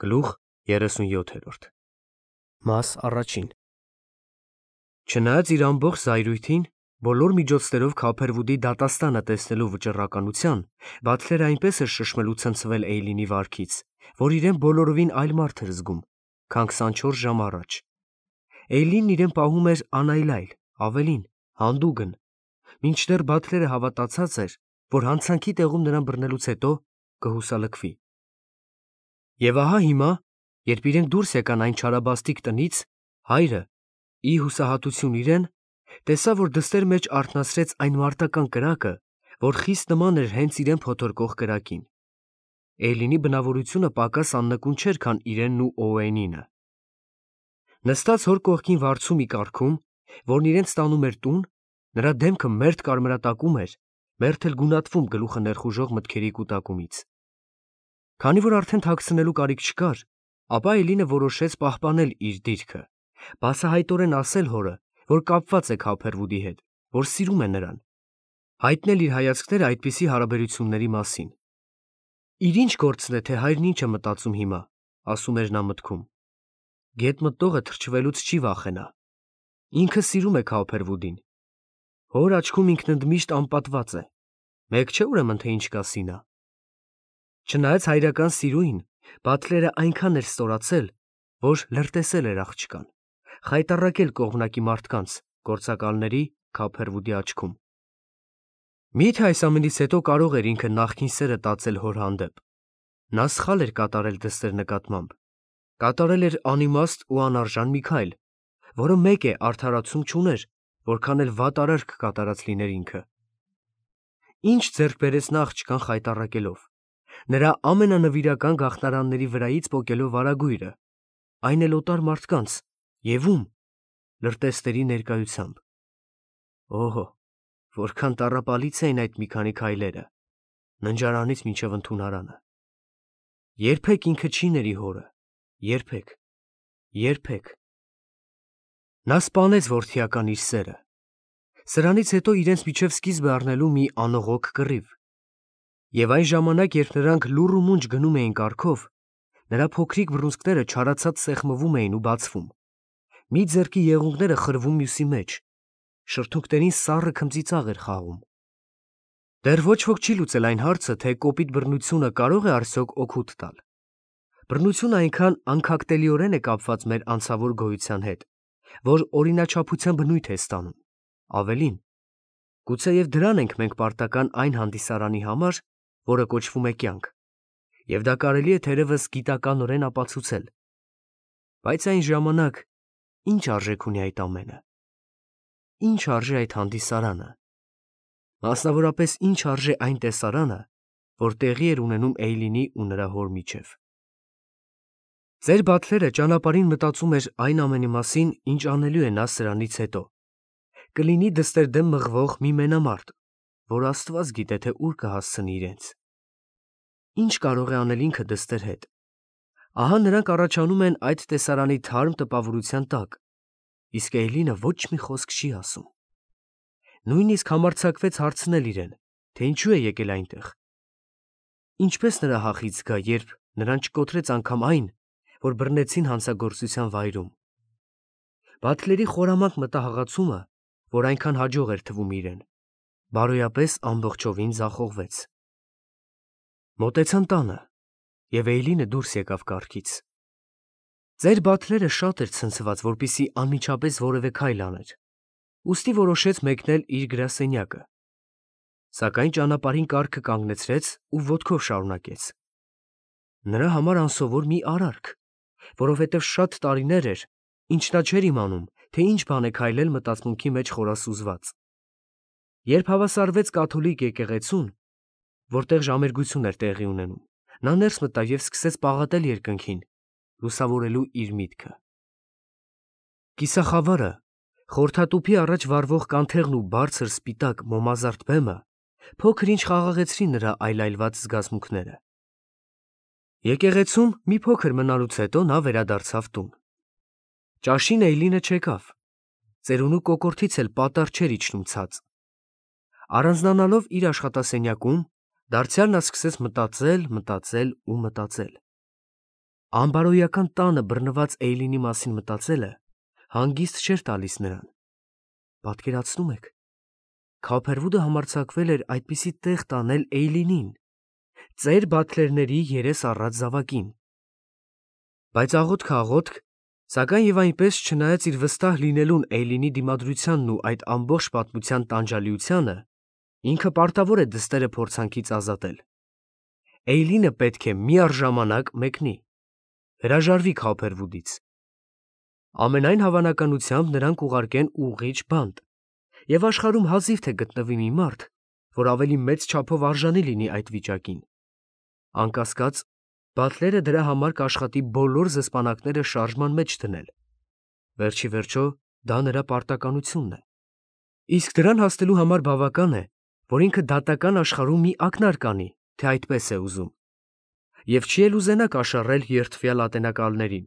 Գլուխ 37 Մաս առաջին Չնայած իր ամբողջ զայրույթին, բոլոր միջոցներով Քափերվուդի դատաստանը տեսնելու վճռականության, Բաթլերը այնպես էր շշմելու ցնցվել Էյլինի վարքից, որ իրեն բոլորովին այլ մարդ էր զգում, քան 24 ժամ առաջ։ Էյլինն իրեն պահում էր անայլայլ, ավելին, հանդուգն, մինչդեռ Բաթլերը հավատացած էր, որ հանցանքի տեղում նրան բռնելուց հետո կհուսալքվի։ Եվ ահա հիմա, երբ իրենք դուրս եկան այն չարաբաստիկ տնից, հայրը, ի հուսահատություն իրեն, տեսավ, որ դստեր մեջ արթնացրեց այն մարտական կրակը, որ խիստ նման էր հենց իրեն փոթորկող կրակին։ Էյլինի բնավորությունը պակաս աննկուն չէր, քան իրենն ու Օուենինը։ Նստած հոր կողքին վարձու մի կառքում, որն իրենց տանում էր տուն, նրա դեմքը մերթ կարմրատակում էր, մերթ էլ գունատվում գլուխը ներխուժող մտքերի կուտակումից։ Քանի որ արդեն թաքցնելու կարիք չկար, ապա Էյլինը որոշեց պահպանել իր դիրքը, բացահայտորեն ասել հորը, որ կապված է Քափերվուդի հետ, որ սիրում է նրան, հայտնել իր հայացքները այդպիսի հարաբերությունների մասին։ Իր ինչ գործն է, թե հայրն ինչ է մտածում հիմա, ասում էր նա մտքում։ Գետ մտնողը թրջվելուց չի վախենա։ Ինքը սիրում է Քափերվուդին։ Հոր աչքում ինքն ընդմիշտ անպատված է։ Մեկ չէ ուրեմն, թե ինչ կասի նա։ Չնայած հայրական սիրուին, Բաթլերը այնքան էր ստորացել, որ լրտեսել էր աղջկան, խայտառակել կողմնակի մարդկանց, գործակալների Քափերվուդի աչքում։ Միթե այս ամենից հետո կարող էր ինքը նախքին սերը տածել հոր հանդեպ։ Նա սխալ էր կատարել դստեր նկատմամբ։ Կատարել էր անիմաստ ու անարժան մի քայլ, որը մեկ է արդարացում չուներ, որքան էլ վատ արարք կատարած լիներ ինքը։ Ինչ ձեռք բերեց նա աղջկան խայտառակելով։ Նրա ամենանվիրական գաղտնարանների վրայից պոկելով վարագույրը, այն էլ օտար մարդկանց, և ում, լրտեսների ներկայությամբ։ Օհո, որքան տառապալից էին այդ մի քանի քայլերը, ննջարանից մինչև ընդունարանը։ Երբեք ինքը չի ների հորը, երբեք, երբեք։ Նա սպանեց որդիական իր սերը։ Սրանից հետո իրենց միջև սկիզբ է առնելու մի անողոք կռիվ։ Եվ այն ժամանակ, երբ նրանք լուռ ու մունջ գնում էին կառքով, նրա փոքրիկ բռունցքները չարացած սեղմվում էին ու բացվում։ Մի ձեռքի եղունգները խրվում մյուսի մեջ, շրթունքներին սառը քմծիծաղ էր խաղում։ Դեռ ոչ ոք չի լուծել այն հարցը, թե կոպիտ բռնությունը կարող է արդյոք օգուտ տալ։ Բռնությունը այնքան անքակտելիորեն է կապված մեր անցավոր գոյության հետ, որ օրինաչափության բնույթ է ստանում։ Ավելին, գուցեև դրան ենք մենք պարտական այն հանդիսարանի համար, որը կոչվում է կյանք, և դա կարելի է թերևս գիտականորեն ապացուցել։ Բայց այն ժամանակ ինչ արժեք ունի այդ ամենը։ Ինչ արժե այդ հանդիսարանը։ Մասնավորապես ինչ արժե այն տեսարանը, որ տեղի էր ունենում Էյլինի ու նրա հոր միջև։ Ձեր Բաթլերը ճանապարհին մտածում էր այն ամենի մասին, ինչ անելու է նա սրանից հետո։ Կլինի դստեր դեմ մղվող մի մենամարտ, որ Աստված գիտե, թե ուր կհասցնի իրենց։ Ինչ կարող է անել ինքը դստեր հետ։ Ահա նրանք առաջանում են այդ տեսարանի թարմ տպավորության տակ, իսկ Էյլինը ոչ մի խոսք չի ասում։ Նույնիսկ համարձակվեց հարցնել իրեն, թե ինչու է եկել այնտեղ։ Ինչպես նրա հախից գա, երբ նրան չկոտրեց անգամ այն, որ բռնեցին հանցագործության վայրում։ Բաթլերի խորամանկ մտահղացումը, որ այնքան հաջող էր թվում իրեն, բարոյապես ամբողջովին ձախողվեց։ Մոտեցան տանը, և Էյլինը դուրս եկավ կառքից։ Ձեր Բաթլերը շատ էր ցնցված, որպեսզի անմիջապես որևէ քայլ աներ, ուստի որոշեց մեկնել իր գրասենյակը։ Սակայն ճանապարհին կառքը կանգնեցրեց ու ոտքով շարունակեց։ Նրա համար անսովոր մի արարք, որովհետև շատ տարիներ էր, ինչ նա չէր իմանում, թե ինչ բան է քայլել մտածմունքի մեջ խորասուզված։ Երբ հավասարվեց կաթոլիկ եկեղեցուն, որտեղ ժամերգություն էր տեղի ունենում, նա ներս մտավ և սկսեց պաղատել երկնքին, լուսավորելու իր միտքը։ Կիսախավարը, խորթատուփի առաջ վառվող կանթեղն ու բարձր սպիտակ մոմազարդ բեմը փոքր-ինչ խաղաղեցրին նրա այլայլված զգացմունքները։ Եկեղեցում մի փոքր մնալուց հետո նա վերադարձավ տուն։ Ճաշին Էյլինը չեկավ։ Ծերունու կոկորդից էլ պատառ չէր իջնում ցած։ Առանձնանալով իր աշխատասենյակում, դարձյալ նա սկսեց մտածել ու մտածել։ Անբարոյական տանը բռնված Էյլինի մասին մտածելը հանգիստ չէր տալիս նրան։ Պատկերացնում եք, Քոփերվուդը համարձակվել էր այդպիսի տեղ տանել Էյլինին, ծեր բաթլերների երես առած զավակին։ Բայց աղոթք, սակայն եւ այնպես չնայած իր վստահ լինելուն Էյլինի դիմադրությանն ու այդ ամբողջ պատմության տանջալիությանը, ինքը պարտավոր է դստերը փորձանքից ազատել։ Էյլինը պետք է միառժամանակ մեկնի, հրաժարվի Քոփերվուդից։ Ամենայն հավանականությամբ նրանք ուղարկեն ուղղիչ բանտ, եւ աշխարհում հազիվ թե գտնվի մի մարդ, որ ավելի մեծ չափով արժանի լինի այդ վիճակին։ Անկասկած, Բատլերը դրա համար կաշխատի բոլոր զսպանակները շարժման մեջ դնել։ Վերջի վերջո, դա նրա պարտականությունն է։ Իսկ դրան հասնելու համար բավական է, որ ինքը դատական աշխարհում մի ակնարկ անի, թե այդպես է ուզում։ Եվ չի էլ ուզենա կաշառել երդվյալ ատենակալներին,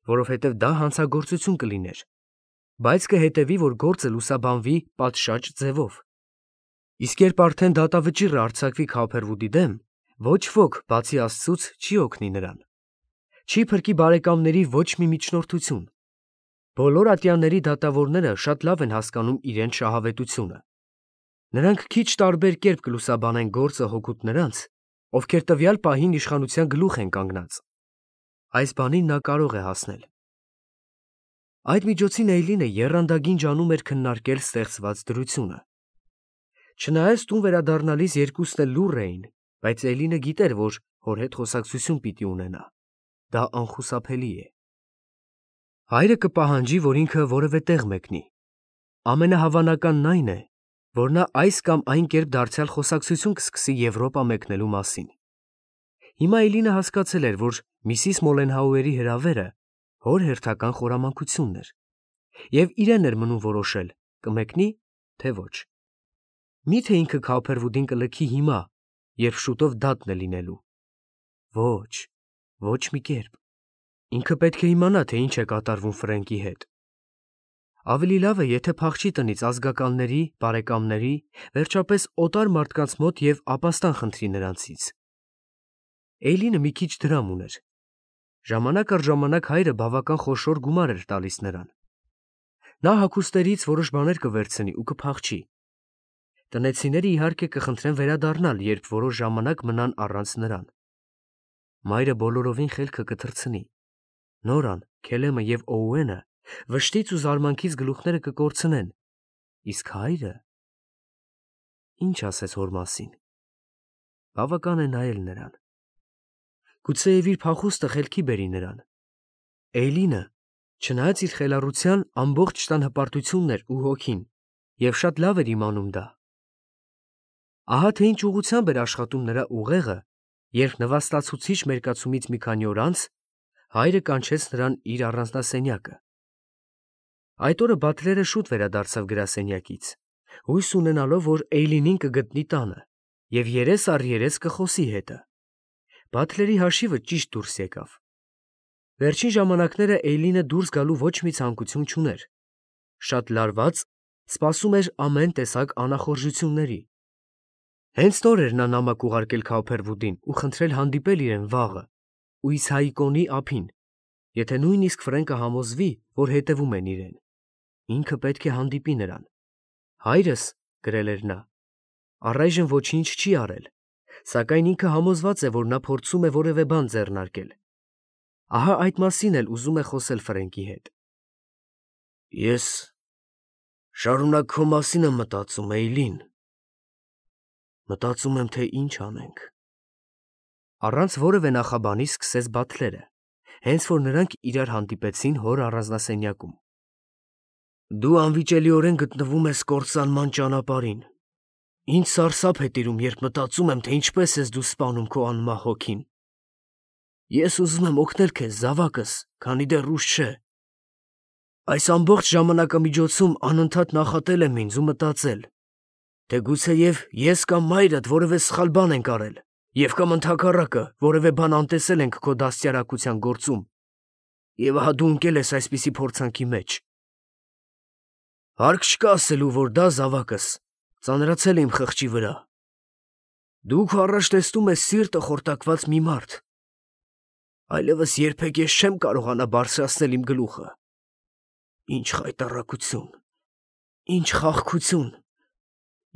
որովհետև դա հանցագործություն կլիներ, բայց կհետևի, որ գործը լուսաբանվի պատշաճ ձևով։ Իսկ երբ արդեն դատավճիռը արձակվի Քոփերվուդի դեմ, ոչ ոք, բացի Աստծուց, չի օգնի նրան։ Չի փրկի բարեկամների ոչ մի միջնորդություն։ Բոլոր ատյանների դատավորները շատ լավ են հասկանում իրենց շահավետությունը։ Նրանք քիչ տարբեր կերպ կլուսաբանեն գործը հօգուտ նրանց, ովքեր տվյալ պահին իշխանության գլուխ են կանգնած։ Այս բանին նա կարող է հասնել։ Այդ միջոցին Էյլինը եռանդագին ջանում էր քննարկել ստեղծված դրությունը։ Չնայած տուն վերադառնալիս երկուսն էլ լուռ էին, բայց Էյլինը գիտեր, որ հոր հետ խոսակցություն պիտի ունենա։ Դա անխուսափելի է։ Հայրը կպահանջի, որ ինքը որևէ տեղ մեկնի։ Ամենահավանականն այն է, որ նա այս կամ այն կերպ դարձյալ խոսակցություն կսկսի Եվրոպա մեկնելու մասին։ Հիմա Էյլինը հասկացել էր, որ Միսիս Մոլենհաուերի հրավերը հոր հերթական խորամանկությունն էր, եւ իրեն էր մնում որոշել՝ կմեկնի, թե ոչ։ Միթե ինքը Քոփերվուդին կլքի հիմա, երբ շուտով դատն է լինելու։ Ոչ մի կերպ։ Ինքը պետք է իմանա, թե ինչ է կատարվում Ֆրենկի հետ։ Ավելի լավ է, եթե փախչի տնից ազգականների, բարեկամների, վերջապես օտար մարդկանց մոտ եւ ապաստան խնդրի նրանցից։ Էյլինը մի քիչ դրամ ուներ։ Ժամանակ առ ժամանակ հայրը բավական խոշոր գումար էր տալիս նրան։ Նա հագուստերից որոշ բաներ կվերցնի ու կփախչի։ Տնեցիները իհարկե կխնդրեն վերադառնալ, երբ որոշ ժամանակ մնան առանց նրան։ Մայրը բոլորովին խելքը կթռցնի։ Նորան, Քելեմը եւ Օուենը վշտից ու զարմանքից գլուխները կկորցնեն։ Իսկ հայրը… Ինչ ասես հոր մասին։ Բավական է նայել նրան։ Գուցեև իր փախուստը խելքի բերի նրան։ Էյլինը, չնայած իր խելառության, ամբողջ տան հպարտությունն էր ու հոգին, եւ շատ լավ էր իմանում դա։ Ահա թե ինչ ուղղությամբ էր աշխատում նրա ուղեղը, երբ նվաստացուցիչ մերկացումից մի քանի օր անց հայրը կանչեց նրան իր առանձնասենյակը։ Այդ օրը Բատլերը շուտ վերադարձավ գրասենյակից, հույս ունենալով, որ Էյլինին կգտնի տանը եւ երես առ երես կխոսի հետը։ Բատլերի հաշիվը ճիշտ դուրս եկավ։ Վերջին ժամանակները Էյլինը դուրս գալու ոչ մի ցանկություն չուներ։ Շատ լարված, սպասում էր ամեն տեսակ անախորժությունների։ Հենց նոր էր նա նամակ ուղարկել Քոփերվուդին ու խնդրել հանդիպել իրեն վաղը ու Իսահիկոնի ափին, եթե նույնիսկ Ֆրենկը համոզվի, որ հետևում են իրեն։ Ինքը պետք է հանդիպի նրան։ Հայրս, գրել էր նա, առայժմ ոչինչ չի արել, սակայն ինքը համոզված է, որ նա փորձում է որևէ բան ձեռնարկել։ Ահա այդ մասին էլ ուզում է խոսել Ֆրենկի հետ։ Ես շարունակ քո մասին եմ մտածում, Էյլին։ Մտածում եմ, թե ինչ անենք։ Առանց որևէ նախաբանի սկսեց Բատլերը, հենց որ նրանք իրար հանդիպեցին հոր առանձնասենյակում։ Դու անվիճելիորեն գտնվում ես կործանման ճանապարհին։ Ինձ սարսափ է տիրում, երբ մտածում եմ, թե ինչպես ես դու սպանում քո անմահ հոգին։ Ես ուզում եմ օգնել քեզ, զավակս, քանի դեռ ուշ չէ։ Այս ամբողջ ժամանակամիջոցում անընդհատ նախատել եմ ինձ ու մտածել, թե գուցեև ես կամ մայրդ որևէ սխալ բան ենք արել, եւ կամ ընդհակառակը որևէ բան անտեսել ենք քո դաստիարակության գործում, եւ ահա դու ընկել ես այսպիսի փորձանքի մեջ։ Հարկ չկա ասելու, որ դա, զավակս, ծանրացել է իմ խղճի վրա։ Դու քո առաջ տեսնում ես սիրտը խորտակված մի մարդ, Այլևս երբեք ես չեմ կարողանա բարձրացնել իմ գլուխը։ Ինչ խայտառակություն, ինչ խաղաղություն,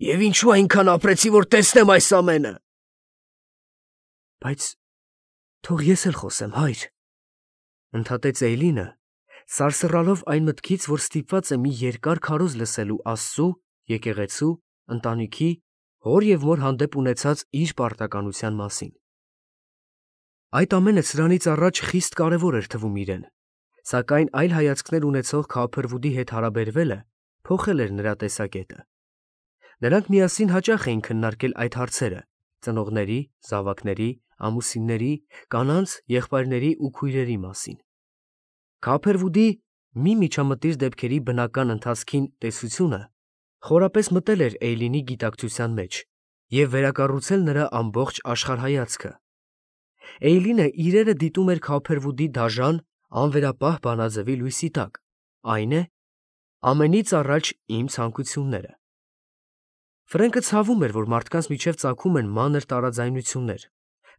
և ինչու այնքան ապրեցի, որ տեսնեմ այս ամենը։ Բայց թող ես էլ խոսեմ, հայր, ընդհատեց Էյլինը, սարսռալով այն մտքից, որ ստիպված է մի երկար քարոզ լսելու Աստծու, եկեղեցու, ընտանիքի, հոր և մոր հանդեպ ունեցած իր պարտականության մասին։ Այդ ամենը սրանից առաջ խիստ կարևոր էր թվում իրեն, սակայն այլ հայացքներ ունեցող Քոփերվուդի հետ հարաբերվելը փոխել էր նրա տեսակետը։ Նրանք միասին հաճախ էին քննարկել այդ հարցերը՝ ծնողների, զավակների, ամուսինների, կանանց, եղբայրների ու քույրերի մասին։ Քոփերվուդի մի միջամտիր դեպքերի բնական ընթացքին տեսությունը խորապես մտել էր Էյլինի գիտակցության մեջ և վերակառուցել նրա ամբողջ աշխարհայացքը։ Էյլինը իրերը դիտում էր Քոփերվուդի դաժան, անվերապահ բանաձևի լույսի տակ, այն է, ամենից առաջ իմ ցանկությունները։ Ֆրենկը ցավում էր, որ մարդկանց միջև ծագում են մանր տարաձայնություններ,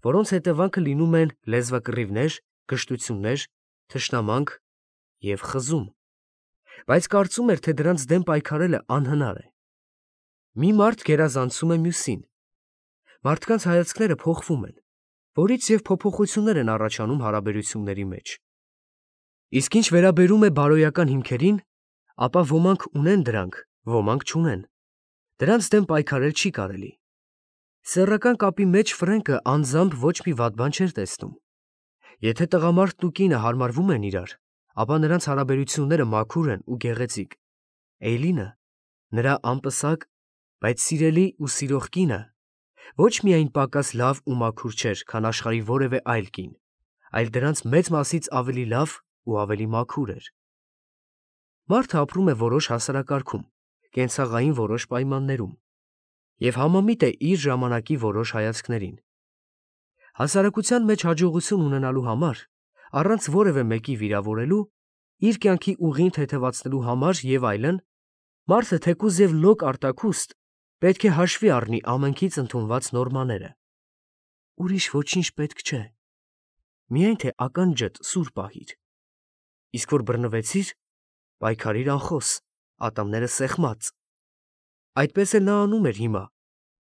որոնց հետևանքը լինում են լեզվակռիվներ, կշտություններ, թշնամանք և խզում, բայց կարծում էր, թե դրանց դեմ պայքարելը անհնար է։ Մի մարդ գերազանցում է մյուսին։ Մարդկանց հայացքները փոխվում են, որից և փոփոխություններ են առաջանում հարաբերությունների մեջ։ Իսկ ինչ վերաբերում է բարոյական հիմքերին, ապա ոմանք ունեն դրանք, ոմանք չունեն։ Դրանց դեմ պայքարել չի կարելի։ Սեռական կապի մեջ Ֆրենկը անձամբ ոչ մի վատ բան չէր տեսնում։ Եթե տղամարդն ու կինը հարմարվում են իրար, ապա նրանց հարաբերությունները մաքուր են ու գեղեցիկ։ Էյլինը, նրա անպսակ, բայց սիրելի ու սիրող կինը, ոչ միայն պակաս լավ ու մաքուր չէր, քան աշխարհի որևէ այլ կին, այլ դրանց մեծ մասից ավելի լավ ու ավելի մաքուր էր։ Մարդը ապրում է որոշ հասարակարգում, կենցաղային որոշ պայմաններում և համամիտ է իր ժամանակի որոշ հայացքներին։ Հասարակության մեջ հաջողություն ունենալու համար, առանց որևէ մեկի վիրավորելու, իր կյանքի ուղին թեթևացնելու համար և այլն, մարդը թեկուզ և լոկ արտաքուստ պետք է հաշվի առնի ամենքից ընդունված նորմաները։ Ուրիշ ոչինչ պետք չէ, միայն թե ականջդ սուր պահիր։ Իսկ որ բռնվեցիր, պայքարիր անխոս, ատամները սեղմած։ Այդպես էլ նա անում էր հիմա,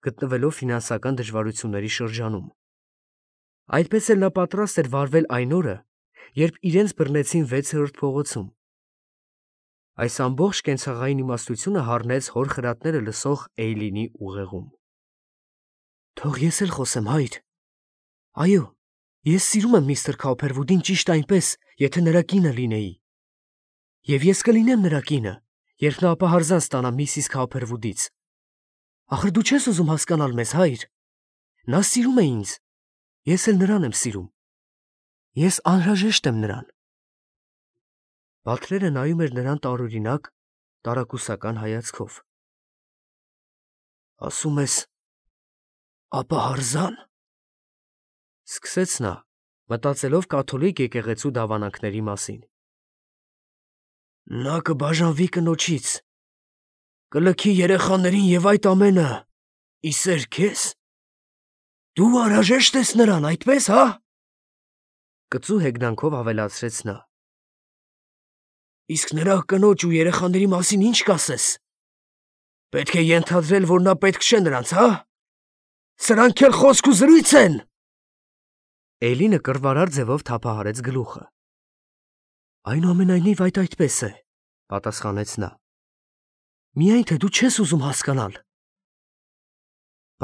գտնվելով ֆինանսական դժվարությունների շրջանում։ Այդպես էլ նա պատրաստ էր վարվել այն օրը, երբ իրենց բռնեցին 6-րդ փողոցում։ Այս ամբողջ կենցաղային իմաստությունը հառնեց հոր խրատները լսող Էյլինի ուղեղում։ Թող ես էլ խոսեմ, հայր։ Այո, ես սիրում եմ միստր Քոփերվուդին ճիշտ այնպես, եթե նրա կինը լինեի։ Եվ ես կլինեմ նրա կինը, երբ նա ապահարզան ստանա միսիս Քոփերվուդից։ Ախր դու չես ուզում հասկանալ մեզ, հայր։ Նա սիրում է ինձ, ես էլ նրան եմ սիրում։ Ես անհրաժեշտ եմ նրան։ Բատլերը նայում էր նրան տարօրինակ, տարակուսական հայացքով։ Ասում ես, ապահարզան, սկսեց նա, մտածելով կաթոլիկ եկեղեցու դավանանքների մասին։ Նա կբաժանվի կնոջից, կլքի երեխաներին և այդ ամենը, իսեր քեզ։ Դու անհրաժեշտ ես նրան, այդպես, հա։ Կծու հեգնանքով ավելացրեց նա։ Իսկ նրա կնոջ ու երեխաների մասին ինչ կասես։ Պետք է ենթադրել, որ նա պետք չէ նրանց, հա։ Սրանք էլ խոսք ու զրույց են։ Էյլինը կռվարար ձևով թափահարեց գլուխը։ Այնուամենայնիվ այդ այդպես է, պատասխանեց նա։ Միայն թե դու չես ուզում հասկանալ։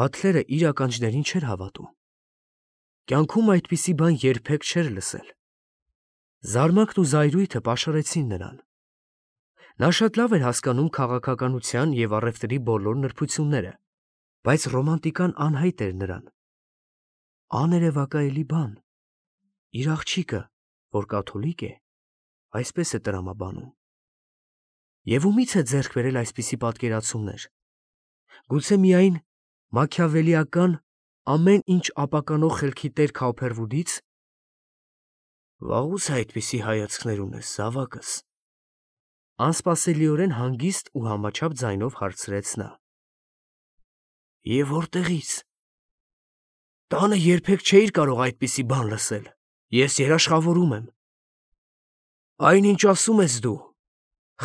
Բատլերը իր ականջներին չէր հավատում։ Կյանքում այդպիսի բան երբեք չէր լսել։ Զարմանքն ու զայրույթը պաշարեցին նրան։ Նա շատ լավ էր հասկանում քաղաքականության և առևտրի բոլոր նրբությունները, բայց ռոմանտիկան անհայտ էր նրան։ Աներևակայելի բան։ Իր աղջիկը, որ կաթոլիկ է, այսպես է տրամաբանում։ Եվ ումից է ձեռք բերել այսպիսի պատկերացումներ։ Գուցե միայն մաքիավելիական, ամեն ինչ ապականող խելքի տեր Քոփերվուդից։ Վաղուց այդպիսի հայացքներ ունես, զավակս։ Անսպասելիորեն հանգիստ ու համաչափ ձայնով հարցրեց նա։ Եվ որտեղի՞ց։ Տանը երբեք չէիր կարող այդպիսի բան լսել։ Ես երաշխավորում եմ։ Այն ինչ ասում ես դու,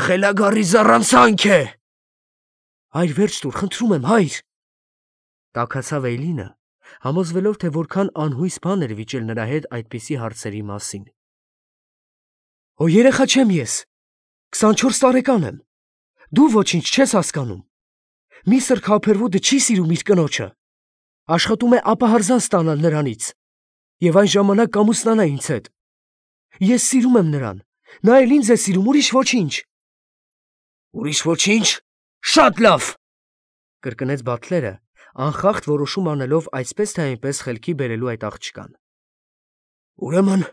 խելագարի զառանցանք է։ Հայր, վերջ տուր, խնդրում եմ, հայր։ Տաքացավ Էյլինը, համոզվելով, թե որքան անհույս բան էր վիճել նրա հետ այդպիսի հարցերի մասին։ Օ, երեխա չեմ ես, 24 տարեկան եմ, դու ոչինչ չես հասկանում։ Միստր Քոփերվուդը չի սիրում իր կնոջը, աշխատում է ապահարզան ստանալ նրանից, և այն ժամանակ կամուսնանա ինձ հետ։ Ես սիրում եմ նրան, նա էլ ինձ է սիրում, ուրիշ ոչինչ։ Ուրիշ ոչինչ, շատ լավ, կրկնեց Բաթլերը, անխախտ որոշում անելով այսպես թե այնպես խելքի բերելու այդ աղջկան։ Ուրեմն,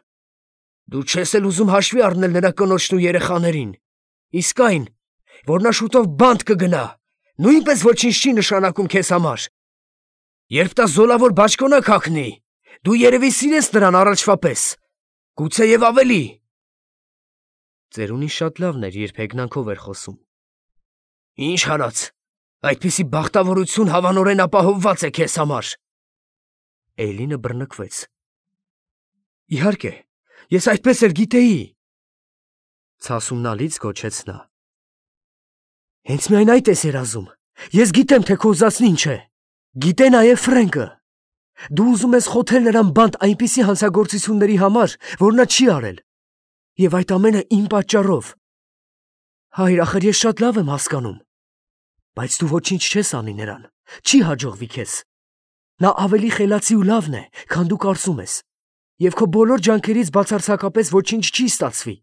դու չես էլ ուզում հաշվի առնել նրա կնոջն ու երեխաներին, իսկ այն, որ նա շուտով բանտ կգնա, նույնպես ոչինչ չի նշանակում քեզ համար։ Երբ դա զոլավոր բաճկոնակ հագնի, դու երևի սիրես նրան առաջվա պես, գուցեև ավելի։ Ծերունին շատ լավն էր, երբ հեգնանքով էր խոսում։ Ինչ հարած, այդպիսի բախտավորություն հավանորեն ապահովված է քեզ համար։ Էյլինը բռնկվեց։ Իհարկե, ես այդպես էլ գիտեի։ Ցասումնալից գոչեց նա։ Հենց միայն այդ ես երազում։ Ես գիտեմ, թե քո ուզածն ինչ է։ Գիտե նաև Ֆրենկը։ Դու ուզում ես խոթել նրան բանտ այնպիսի հանցագործությունների համար, որ նա չի արել։ Եվ այդ ամենը իմ պատճառով։ Հայր, ախր ես շատ լավ եմ հասկանում։ Բայց դու ոչինչ չես անի նրան, չի հաջողվի քեզ։ Նա ավելի խելացի ու լավն է, քան դու կարծում ես, և քո բոլոր ջանքերից բացարձակապես ոչինչ չի ստացվի։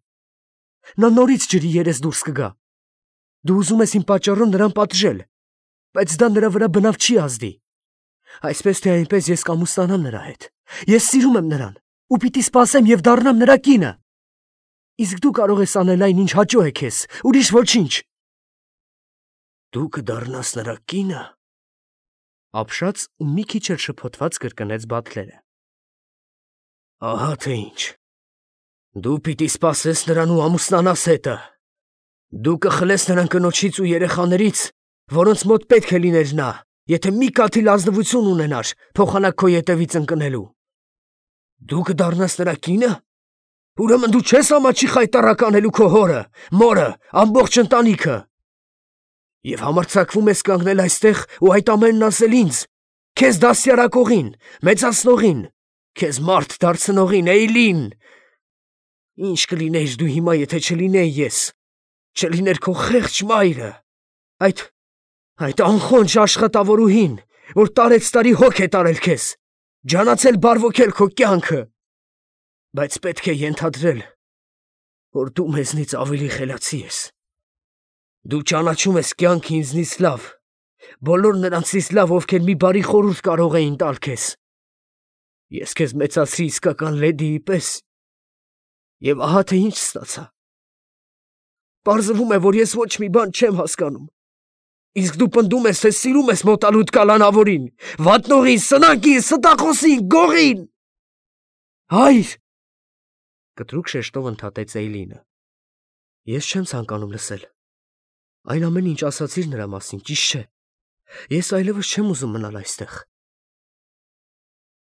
Նա նորից ջրի երես դուրս կգա։ Դու ուզում ես իմ պատճառով նրան պատժել, բայց դա նրա վրա բնավ չի ազդի։ Այսպես թե այնպես ես կամուսնանամ նրա հետ։ Ես սիրում եմ նրան ու պիտի սպասեմ և դառնամ նրա կինը։ Իսկ դու կարող ես անել այն, ինչ հաճո է քեզ, ուրիշ ոչինչ։ Դու կդառնաս նրա կինը։ Ապշած ու մի քիչ էլ շփոթված կրկնեց Բաթլերը։ Ահա թե ինչ։ Դու պիտի սպասես նրան ու ամուսնանաս հետը։ Դու կխլես նրան կնոջից ու երեխաներից, որոնց մոտ պետք է լիներ նա, եթե մի կաթիլ ազնվություն ունենար փոխանակ քո ետևից ընկնելու։ Դու կդառնաս նրա կինը։ Ուրեմն դու չես ամաչի խայտառակ անելու քո հորը, մորը, ամբողջ ընտանիքը։ Եվ համարձակվում ես կանգնել այստեղ ու այդ ամենն ասել ինձ, քեզ դաստիարակողին, մեծացնողին, քեզ մարդ դարձնողին, Էյլին։ Ինչ կլինեիր դու հիմա, եթե չլինեի ես, չլիներ քո խեղճ մայրը, այդ անխոնջ աշխատավորուհին, որ տարեցտարի հոգ է տարել քեզ, ջանացել բարվոքել քո կյանքը։ Բայց պետք է ենթադրել, որ դու մեզնից ավելի խելացի ես։ Դու ճանաչում ես կյանքը ինձնից լավ, բոլոր նրանցից լավ, ովքեր մի բարի խորհուրդ կարող էին տալ քեզ։ Ես քեզ մեծացրի իսկական լեդիի պես, և ահա թե ինչ ստացա։ Պարզվում է, որ ես ոչ մի բան չեմ հասկանում։ Իսկ դու պնդում ես, թե սիրում ես մոտալուտ կալանավորին, վատնողին, սնանկին, ստախոսին, գողին։ Հայր, կտրուկ շեշտով ընդհատեց Էյլինը։ Ես չեմ ցանկանում լսել։ Այն ամեն ինչ ասացիր նրա մասին, ճիշտ չէ։ Ես այլևս չեմ ուզում մնալ այստեղ։